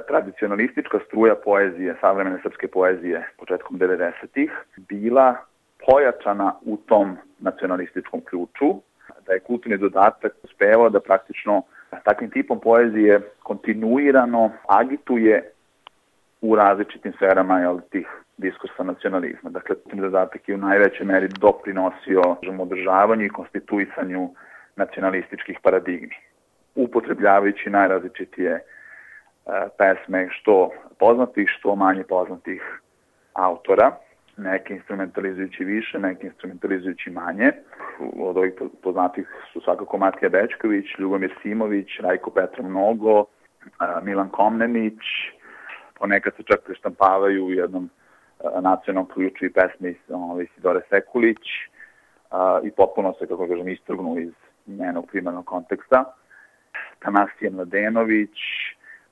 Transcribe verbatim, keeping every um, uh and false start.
tradicionalistička struja poezije, savremene srpske poezije početkom devedesetih bila pojačana u tom nacionalističkom ključu, da je kulturni dodatak uspevao da praktično takvim tipom poezije kontinuirano agituje u različitim sferama jel, tih diskursa nacionalizma. Dakle, kulturni dodatak je u najvećoj meri doprinosio održavanju i konstituisanju nacionalističkih paradigmi, upotrebljavajući najrazličitije pesme što poznatih, što manje poznatih autora, neke instrumentalizujući više, neke instrumentalizujući manje. Od ovih poznatih su svakako Matija Bećković, Ljubomir Simović, Rajko Petrov Nogo, Milan Komnenić, ponekad se čak preštampavaju u jednom nacionalnom ključu i pesme Isidore Sekulić i potpuno se, kako kažem, istrgnu iz njenog primarnog konteksta. Tanasije Mladenović,